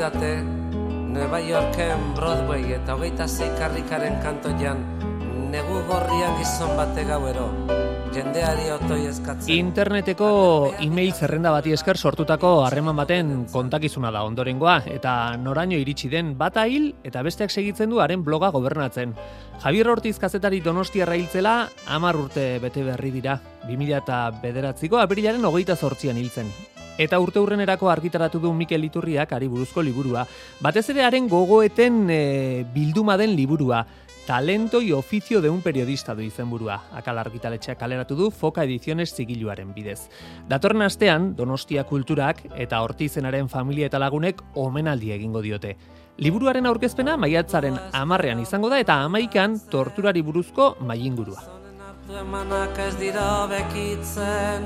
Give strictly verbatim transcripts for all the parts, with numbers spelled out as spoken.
didate Nueva Yorken Broadway eta hogeita zei karrikaren kantoian negu gorrian gizon bate gauero jendeari otoi eskatzen. Interneteko e-mail zerrenda bati esker sortutako harreman baten kontakizuna da ondorengoa eta noraino iritsi den bata hil eta besteak segitzen du haren bloga gobernatzen. Javier Ortiz kazetari donostiarra hiltzela hamar urte bete berri dira. bi mila bederatziko apirilaren hogeita zortzian hiltzen. Eta urte hurrenerako argitaratu du Mikel Iturriak hari buruzko liburua. Batez ere haren gogoeten e, bilduma den liburua. Talento y oficio de un periodista du izenburua. Akal argitaletxeak kaleratu du Foka Ediziones zigiluaren bidez. Datorren astean Donostia Kulturak eta Ortizenaren familia eta lagunek omenaldi egingo diote. Liburuaren aurkezpena maiatzaren hamarrean izango da eta hamaikan torturari buruzko mailingurua. Emanak ez dira bekitzen,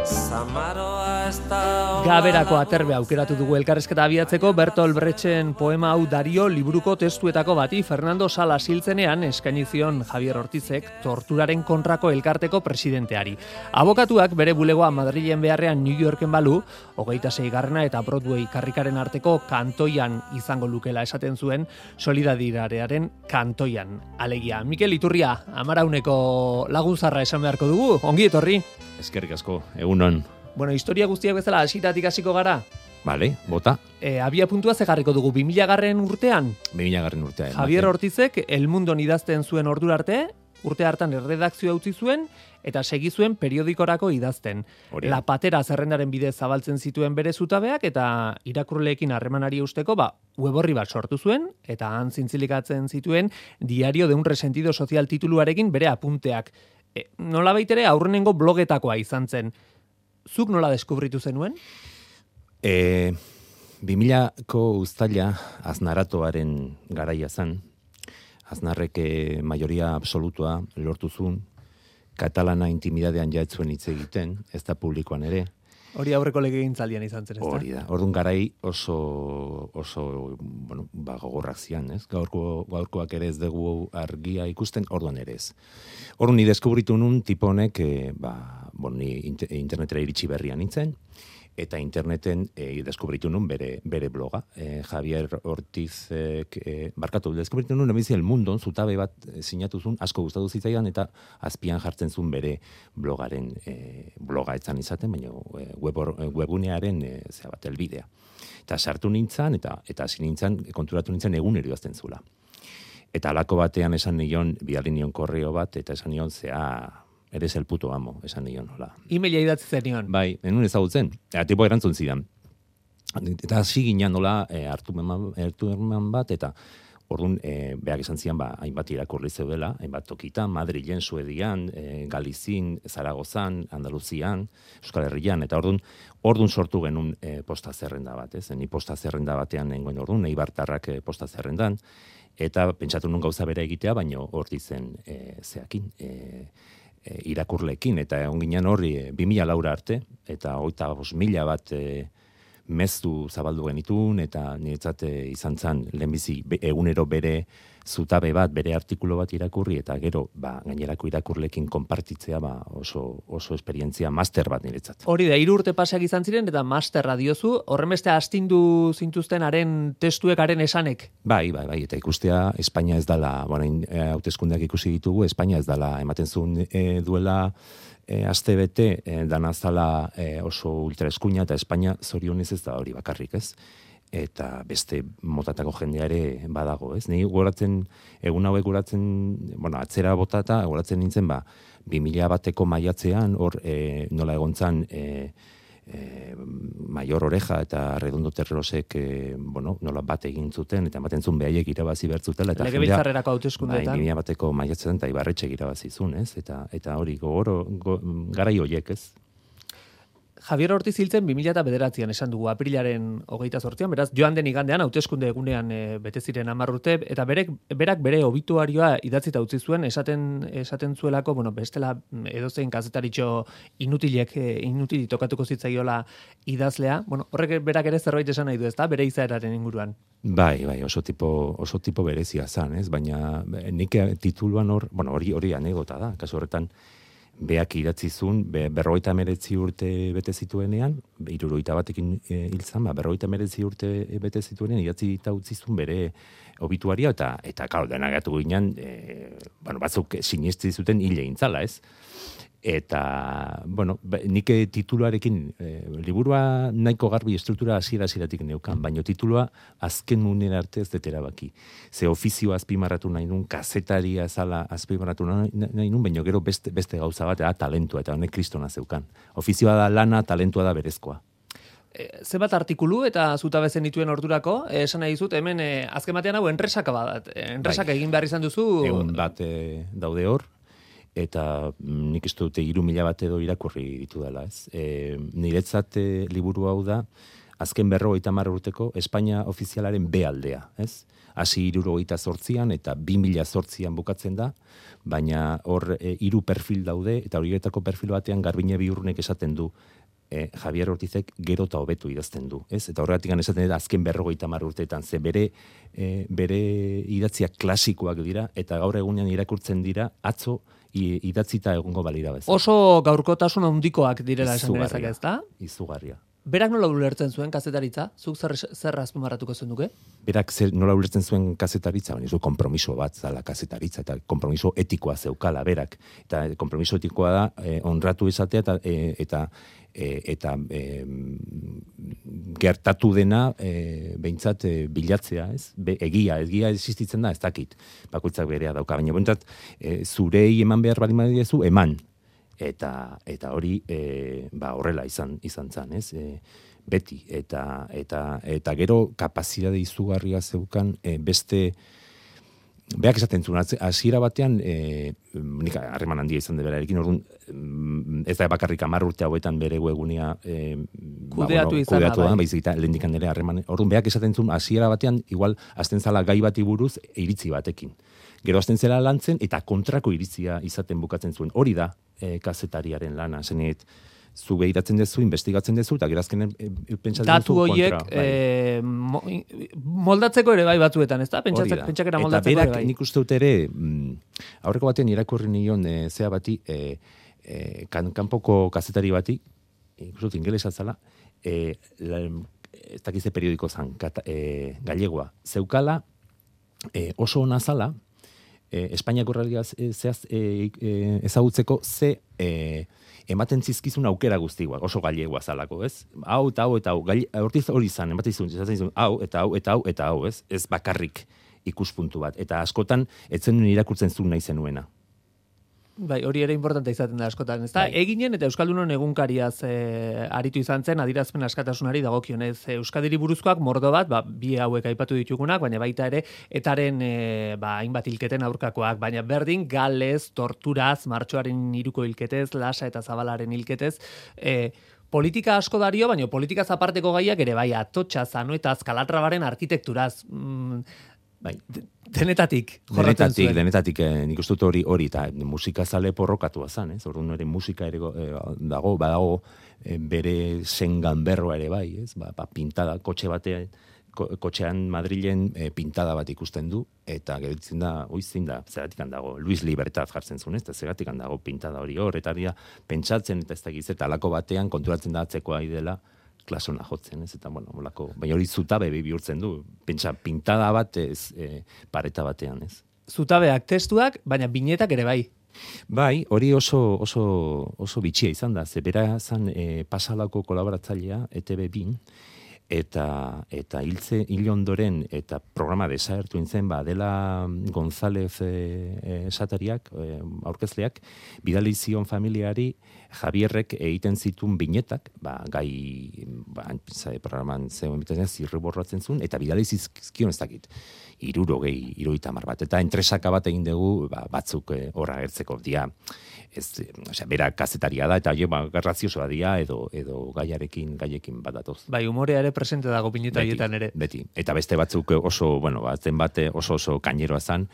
Samaroa ez da... Gaberako aterbe aukeratu dugu elkarrezketa abiatzeko Bertolt Brechten poema hau Dario liburuko testuetako bati Fernando Salas hiltzenean eskaini zion Javier Ortizek torturaren kontrako elkarteko presidenteari. Abokatuak bere bulegoa Madrilen beharrean New Yorken balu, hogeita seigarrena eta Broadway karrikaren arteko kantoian izango lukela esaten zuen Solidaridadearen kantoian. Alegia, Mikel Iturria, amarauneko lagunzarra esan beharko dugu, ongi etorri. Eskerrik asko, egunon. Bueno, historia guztiak bezala hasitatik hasiko gara. Vale, bota. E, abia puntua zegarriko dugu, bi mila garren urtean. bi mila garren urtean. Javier Ortizek El Mundon idazten zuen ordura arte, urte hartan erredakzioa utzi zuen, eta segi zuen periodikorako idazten. Hori. La Patera zerrendaren bidez zabaltzen zituen bere zutabeak, eta irakurleekin harremanari usteko, ba, web orri bat sortu zuen, eta han zintzilikatzen zituen Diario de un resentido social tituluarekin bere apunteak. E, nola baitere aurrenengo blogetakoa izan zen. Zuk nola deskubritu zenuen? E, bi milako uztaila Aznaratoaren garaia zen. Aznarrek e, majoria absolutua lortu zuen. Katalana intimidadean jaetzuen hitz egiten, ez da publikoan ere. Hori aurreko legegintzaldian izan zen, ez da? Hori da. Orduan garai oso, oso bueno, ba, gogorrak zian, ez? Gaurko, gaurkoak ere ez dugu argia ikusten, orduan ere ez. Orduan ni deskubritu nun tipo honek, e, ba, bon, ni internetera iritsi berrian nintzen, eta interneten e, deskubritu nun bere, bere bloga. E, Javier Ortiz, e, barkatu, deskubritu nun ebizi El Mundon, zutabe bat e, sinatu zuen, asko gustatu zitzaidan, eta azpian jartzen zuen bere blogaren, e, bloga etzan izaten, baina e, web, webunearen e, zera bat, elbidea. Eta sartu nintzen, eta eta hasi nintzen, konturatu nintzen egunero idazten zula. Eta alako batean esan nion, bidali nion korreo bat, eta esan nion, zea... Eres el puto amo, esan nion, hola. E-maila idatzi zenion. Bai, enun ezagutzen. Eta tipo erantzun zidan. Eta hasi ginen, nola, e, hartu, eman, hartu eman bat, eta orduan, e, behak esan zian, ba, hainbat irakurri zeudela, hainbat tokitan, Madrilen, Suedian, e, Galizin, Zaragozan, Andaluzian, Euskal Herrian, eta orduan, orduan sortu genuen e, posta zerrenda bat, ez? Ni posta zerrenda batean nengoen orduan, Eibartarrak e, posta zerrendan, eta pentsatu nun gauza bera egitea, baino hor dizen e, zeakin, e, E, irakurlekin, eta egon ginen horri e, bi mila laura arte, eta hogeita bost mila bat e, meztu zabaldu genitun, eta niretzat e, izan zen lehenbizi egunero bere zutabe bat, bere artikulu bat irakurri, eta gero ba, gainerako irakurlekin konpartitzea ba, oso, oso esperientzia master bat niretzat. Hori da, hiru urte paseak izan ziren, eta masterra diozu, horren beste astindu zintuzten haren testuek, haren esanek? Bai, bai, bai, eta ikustea Espainia ez dala, bueno, hauteskundeak ikusi ditugu, Espainia ez dala, ematen zuen e, duela e, aste bete, e, danazala e, oso ultraeskuina, eta Espainia zorionez ez da hori bakarrik, ez? Eta beste motatako jendea ere badago, ez? Ni goratzen, egun hauek goratzen, bueno, atzera botata, goratzen nintzen, ba, bi mila bateko maiatzean, hor e, nola egontzan, e, e, Maior Oreja eta Redondo Terrosek, e, bueno, nola bat egin zuten, eta ematen zuen behaiek irabazi bertzutela. Legebiltzarrerako hauteskundeetan. Bai, bi mila bateko maiatzean, eta Ibarretxek irabazi zuen, ez? Eta, eta hori, gogoro, go, garai horiek, ez? Javier Ortiz hiltzen bi mila bederatzian esan dugu, aprilaren hogeita zortzian, beraz, joan den igandean, hauteskunde egunean e, bete ziren hamar urte, eta berek, berak bere obituarioa idatzita utzi zuen, esaten, esaten zuelako, bueno, bestela edozein kazetaritxo inutilek, e, inutili tokatuko zitzaiola idazlea, bueno, horrek berak ere zerbait esan nahi du, ezta, bere izaeraren inguruan. Bai, bai, oso tipo, oso tipo berezia zan, ez? Baina nik tituluan hor, bueno, hori hori anekdota da, kasu horretan, beak idatzizun, be, berrogeita meretzi urte bete zituenean, hirurogeita batekin e, hiltzan, ba, berrogeita meretzi urte bete zituenean, idatzi eta utzizun bere obituaria, eta, eta karo, denagatu ginen, e, bueno, batzuk sinesti zuten hile intzala, ez? Eta, bueno, nik tituluarekin, e, liburua nahiko garbi estruktura hasiera-hasieratik neukan, baina titulua azken munera arte ez detera baki. Ze ofizioa azpimarratu nahi nun, kazetaria zala azpimarratu nahi, nahi nun, baina gero beste, beste gauza bat, da talentua, eta honek kristona zeukan. Ofizioa da lana, talentua da berezkoa. E, Zebat artikulu eta zutabe zenituen ordurako, e, esan nahi dizut, hemen e, azken batean hau enpresaka bat, enpresaka egin behar izan duzu... Egun bat e, daude hor, eta nik ez dute hiru mila bat edo irakurri ditu dela, ez? E, niretzat e, liburu hau da, azken berrogeita hamar urteko Espainia ofizialaren B aldea, ez? Hasi hirurogeita zortzian eta bi mila zortzian bukatzen da, baina hor e, hiru perfil daude, eta horietako perfil batean Garbine Biurrunek esaten du, e, Javier Ortizek gero eta hobetu idazten du, ez? Eta horregatik esaten dut azken berrogeita hamar urteetan, ze bere, e, bere idatziak klasikoak dira, eta gaur egunean irakurtzen dira, atzo, idatzita egongo balira bez. Oso gaurkotasun handikoak direla esan genezak, ez da? Izugarria. Berak nola ulertzen zuen kazetaritza? Zuk zer, zer azpimarratuko zen duke? Berak zer, nola ulertzen zuen kazetaritza? Baina zu kompromiso bat zala kazetaritza, eta kompromiso etikoa zeukala berak. Eta kompromiso etikoa da eh, honratu izatea eta, eh, eta E, eta e, gertatu dena e, behintzat e, bilatzea, ez? Be, egia, egia existitzen da, ez dakit, bakoitzak berea dauka, baina behintzat e, zurei eman behar bali madiezu, eman, eta, eta hori e, ba, horrela izan, izan zan, ez? E, beti, eta, eta, eta gero kapazitate izugarria zeukan e, beste... Beak esaten zuen, hasiera batean, e, nik harreman handia izan de berarekin, orduan, ez da bakarrik hamar urte hauetan bere webgunea e, kudeatu ba, bueno, izan da, bai. Baizik eta lehendikan ere harreman. Orduan, beak esaten zuen, hasiera batean, igual, azten zala gai bati buruz, iritzi batekin. Gero azten zela lantzen, eta kontrako iritzia izaten bukatzen zuen. Hori da, e, kazetariaren lana, zenet, zu behiratzen dezu, investigatzen dezu, eta gerazkenen e, pentsatzen datu duzu horiek, kontra. E, mo, moldatzeko ere bai batzuetan, ez da? Pentsakera moldatzeko berak, ere bai. Nik uste dut ere, mm, aurreko batean irakurri nion e, zea bati, e, e, kan, kanpoko kazetari bati, ikustu ingelesa zala, e, la, ez dakize periodiko zan, kata, e, gallegoa, zeukala, e, oso ona zala, e, Espainiako realia zehaz e, e, ezagutzeko ze e, ematen zizkizun aukera guztiak, oso gallegoa zalako, ez? Hau eta hau eta hau, Ortiz hori izan, ematen zizun, hau eta hau eta hau eta hau, ez? Ez bakarrik ikuspuntu bat. Eta askotan, etzen nuen irakurtzen zuen nahi zenuena. Bai, hori ere importante izaten da askotan, ez da? Bai. Eginen eta Euskaldunon egunkariaz e, aritu izan zen, adirazpen askatasunari dagokionez. Euskadiri buruzkoak mordo bat, ba, bi hauek aipatu ditugunak, baina baita ere, etaren e, ba, hainbat hilketen aurkakoak, baina berdin, galez, torturaz, martxoaren hiruko hilketez, lasa eta zabalaren hilketez, e, politika asko dario, baina politika aparteko gaiak ere bai, atotxa, zanoetaz, kalatrabaren arkitekturaz, mm, bai, denetatik jorratzen denetatik, zuen. Denetatik, eh, nik uste dut hori, hori, eta musika zale porrokatua zan, ez? Orduan ere musika ere eh, dago, badago eh, bere zengan berroa ere bai, ez? Ba, ba, pintada, kotxe batean, ko, kotxean Madrilen eh, pintada bat ikusten du, eta geritzen da, oizin da, zeratikan dago, Luis Libertad jartzen zuen, ez? Eta zeratikan dago pintada hori hor, eta pentsatzen, eta ez da giz, eta alako batean konturatzen da atzekoa idela, klasona jotzen, ez, eta, bueno, molako, baina hori zutabe bihurtzen du, pentsa, pintada bat ez, e, pareta batean, ez. Zutabeak, testuak, baina binetak ere bai. Bai, hori oso, oso, oso bitxia izan da, ze bera zan e, pasalako kolaboratzailea, E Te Be bin, eta eta hiltze hil ondoren eta programa desagertu intzen ba dela González e, esatariak e, aurkezleak bidali zion familiari Javierrek egiten zituen binetak ba gai ba programan zeuen bitez zirriborratzen zuen eta bidali zizkion ez dakit hirurogei hirurogeita hamar bat eta entresaka bat egin dugu ba, batzuk horra e, agertzeko dia ez osea bera kazetaria da eta ba graziosoa dia edo edo gaiarekin gaiekin bat datoz bai umorea ere presente dago pineta hietan ere. Beti. Eta beste batzuk oso, bueno, batzen bate oso oso kaineroa zan,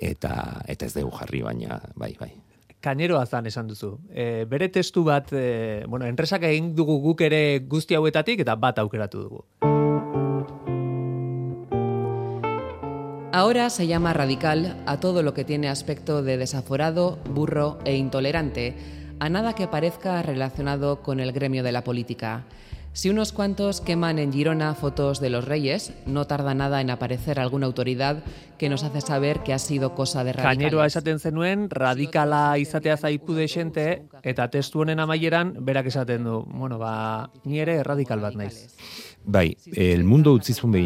eta, eta ez dugu jarri, baina, bai, bai. Kaineroa zan esan duzu. E, bere testu bat, e, bueno, enpresak egin dugu guk ere guzti hauetatik, eta bat aukeratu dugu. Ahora se llama radical a todo lo que tiene aspecto de desaforado, burro e intolerante, a nada que parezca relacionado con el gremio de la política. Si unos cuantos queman en Girona fotos de los reyes, no tarda nada en aparecer alguna autoridad que nos hace saber que ha sido cosa de radicales. Kaineroa esaten zenuen, radikala izatea zaipu desente, eta testu honen amaieran, berak esaten du, bueno, ba, ni ere radikal bat naiz. Bai, El Mundo utzizun bi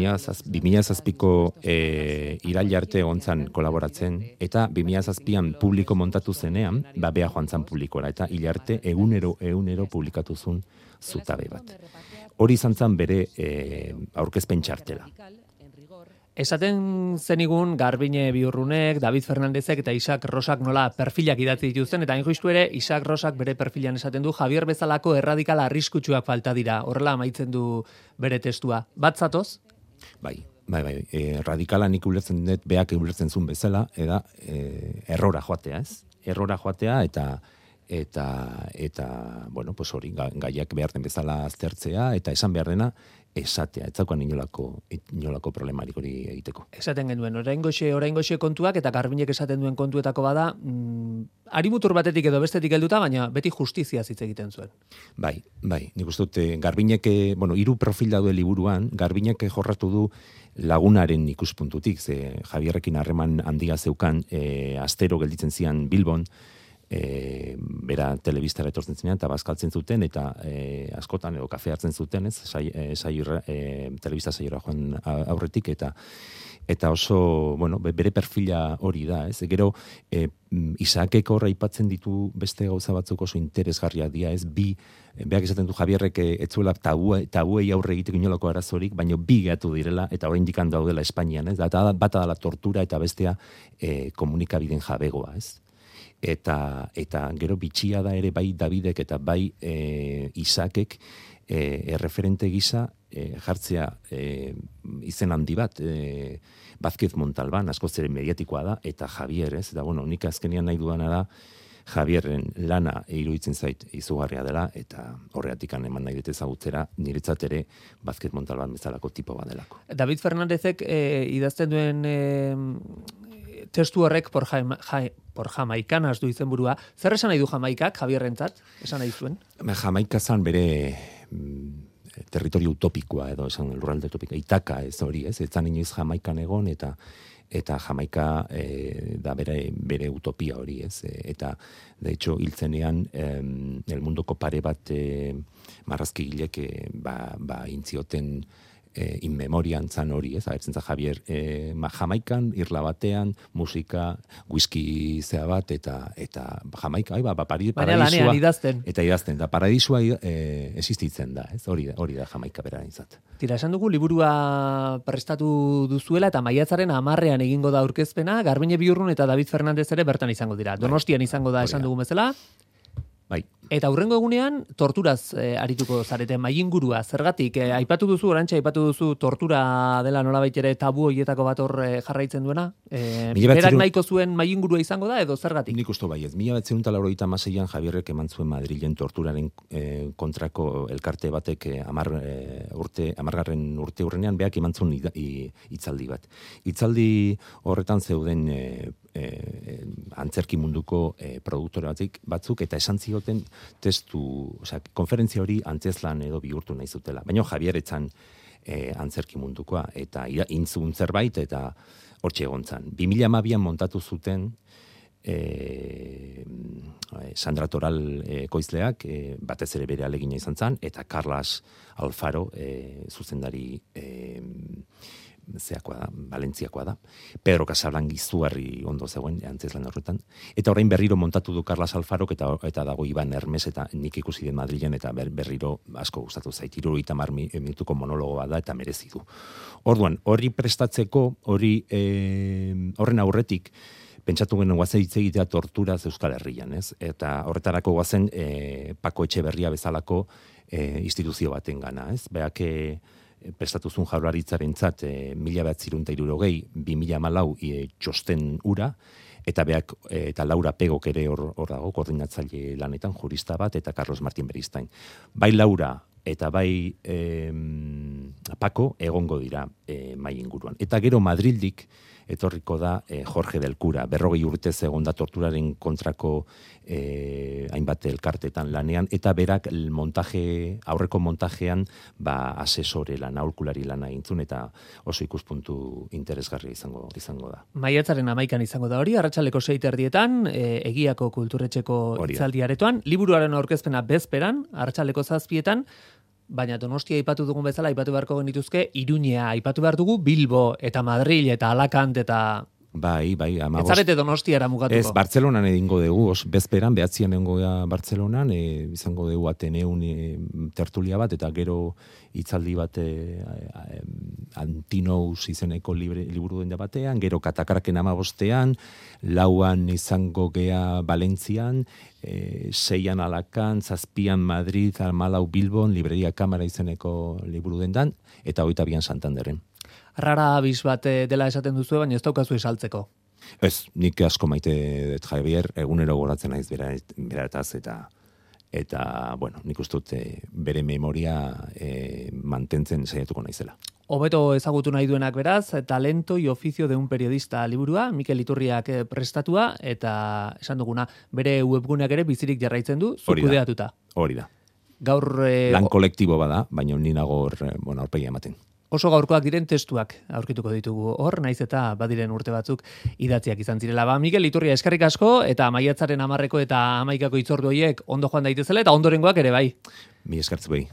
mila zazpiko e, irail arte ontzan kolaboratzen, eta bi mila zazpian publiko montatu zenean, ba, bea joan zan publikora, eta hilarte egunero, egunero publikatu zuen zutabe bat. Hori izan zan bere e, aurkezpen txartela. Esaten zenigun Garbine Biurrunek, David Fernandezek eta Isaac Rosak nola perfilak idatzi dituzten, eta hain justu ere Isaac Rosak bere perfilan esaten du Javier bezalako erradikala arriskutsuak falta dira, horrela amaitzen du bere testua. Bat zatoz? Bai, bai, bai, e, radikala nik ulertzen dut, beak ulertzen zuen bezala, eda e, errora joatea, ez? Errora joatea eta eta eta bueno, pues hori gaiak behar den bezala aztertzea eta esan behar dena esatea, ez daukan inolako inolako problemarik hori egiteko. Esaten genuen, oraingoxe oraingoxe kontuak eta Garbinek esaten duen kontuetako bada, mm, arimutur batetik edo bestetik helduta, baina beti justizia hitz egiten zuen. Bai, bai, nik uste dut Garbinek, bueno, hiru profil daude liburuan, Garbinek jorratu du lagunaren ikuspuntutik, ze Javierrekin harreman handia zeukan, e, astero gelditzen zian Bilbon, E, bera telebistara etortzen zinean eta bazkaltzen zuten eta e, askotan edo kafe hartzen zuten, ez, sai, e, sai, e, telebista saiora joan aurretik eta eta oso, bueno, bere perfila hori da, ez? Gero e, Isaakek horra aipatzen ditu beste gauza batzuk oso interesgarriak dira, ez? Bi, beak esaten du Javierrek ez zuela tabue, tabuei aurre egiteko inolako arazorik, baina bi gehatu direla eta oraindik daudela Espainian, ez? Eta bata dela tortura eta bestea e, komunikabideen jabegoa, ez? Eta, eta gero bitxia da ere bai Davidek eta bai e, Isaakek e, erreferente gisa e, jartzea e, izen handi bat, e, Vázquez Montalbán, askoz ere mediatikoa da, eta Javier, ez? Eta bueno, nik azkenean nahi dudana da Javierren lana iruditzen zait izugarria dela, eta horreatikan eman nahi dut ezagutzera, niretzat ere Vázquez Montalbán bezalako tipo bat delako. David Fernandezek e, idazten duen e, testu horrek por, jaima, jai, por Jamaicanas du izenburua. Zer esan nahi du Jamaikak, Javierrentzat? Esan nahi zuen? Jamaika zan bere mm, territorio utopikoa, edo esan lurralde utopikoa, Itaka ez hori, ez? Etzan inoiz Jamaikan egon, eta eta Jamaika e, da bere, bere utopia hori, ez? Eta, de hecho, hiltzenean eh, el mundoko pare bat eh, marrazkigilek eh, ba, ba intzioten E, in memorian zan hori, ez, agertzen za Javier, e, ma, Jamaikan, irla batean, musika, whisky zea bat, eta eta Jamaika, ai, ba, ba pari, paradisua, idazten. Eta idazten, da paradisua e, existitzen da, ez, hori da, hori da Jamaika beraren zat. Tira, esan dugu, liburua prestatu duzuela, eta maiatzaren hamarrean egingo da aurkezpena, Garbine Biurrun eta David Fernandez ere bertan izango dira. Donostian izango da, esan dugu bezala. Bai. Eta hurrengo egunean torturaz e, arituko zarete maingurua. Zergatik, e, aipatu duzu, orantxe aipatu duzu tortura dela nolabait ere tabu hoietako bat hor e, jarraitzen duena. E, berak nahiko zuen maingurua izango da edo zergatik? Nik uste bai ez. Mila batzen eta laurogeita hamaseian Javierrek eman zuen Madrilen torturaren e, kontrako elkarte batek e, amar, e, urte, amargarren urte hurrenean beak eman zuen hitzaldi bat. Hitzaldi horretan zeuden e, e, antzerki munduko e, produktore batzuk, batzuk eta esan zioten testu, osea, konferentzia hori antzezlan edo bihurtu nahi zutela. Baina Javier etzan e, antzerki mundukoa eta intzun zerbait eta hortxe egontzan. bi mila hamabian montatu zuten e, Sandra Toral e, koizleak e, batez ere bere alegina izan zan, eta Carlas Alfaro e, zuzendari e, zeakoa da, Valentziakoa da. Pedro Casablan izugarri ondo zegoen antzeslan horretan. Eta orain berriro montatu du Carlas Alfarok eta eta dago Iban Hermes eta nik ikusi den Madrilen eta ber, berriro asko gustatu zait. hirurogeita hamar minutuko monologoa da eta merezi du. Orduan, hori prestatzeko, hori e, horren aurretik pentsatu genuen guazen hitz egitea torturaz Euskal Herrian, ez? Eta horretarako guazen e, Pako Etxeberria bezalako e, instituzio baten gana, ez? Beak e, prestatuzun jaurlaritzarentzat e, mila behatzirun eta hirurogei, bi mila hamalau e, txosten ura, eta beak e, eta Laura Pegok ere hor, hor dago, koordinatzaile lanetan, jurista bat, eta Carlos Martín Beristain. Bai Laura eta bai e, Pako egongo dira e, mai inguruan. Eta gero Madrildik etorriko da e, Jorge del Cura. Berrogei urtez egon da torturaren kontrako e, hainbat elkartetan lanean, eta berak montaje, aurreko montajean ba, asesore lan, aholkulari lana intzun, eta oso ikuspuntu interesgarria izango izango da. Maiatzaren amaikan izango da hori, arratsaldeko sei erdietan, e, Egiako kulturretxeko hitzaldi aretoan, liburuaren aurkezpena bezperan, arratsaldeko zazpietan, baina Donostia aipatu dugun bezala, aipatu beharko genituzke, Iruñea, aipatu behar dugu Bilbo, eta Madril, eta Alakant, eta... Bai, bai, ama Ez zarete Donostiara mugatuko. Ez, Bartzelonan edingo dugu, os, bezperan, behatzian egingo da Bartzelonan, e, izango dugu Ateneun e, tertulia bat, eta gero hitzaldi bat e, e, Antinous izeneko libre, liburu denda batean, gero Katakraken amabostean, lauan izango gea Valentzian, e, seian Alakan, zazpian Madrid, Almalau Bilbon, libreria Kamara izeneko liburu dendan, eta hogeita bian Santanderren. Rara abiz bat dela esaten duzu, baina ez daukazu esaltzeko. Ez, nik asko maite dut Javier, egunero goratzen naiz bera, berataz, eta eta, bueno, nik uste dut bere memoria e, mantentzen saiatuko naizela. Hobeto ezagutu nahi duenak beraz, Talento y oficio de un periodista liburua, Mikel Iturriak prestatua, eta esan duguna, bere webguneak ere bizirik jarraitzen du, zu kudeatuta. Hori da. Gaur... E, Lan kolektibo bada, baina ni nago hor, bueno, aurpegia ematen. Oso gaurkoak diren testuak aurkituko ditugu hor, naiz eta badiren urte batzuk idatziak izan zirela. Ba, Mikel Iturria eskerrik asko, eta maiatzaren amarreko eta hamaikako itzordu horiek ondo joan daitezela, eta ondorengoak ere bai. Mi eskertzu behi.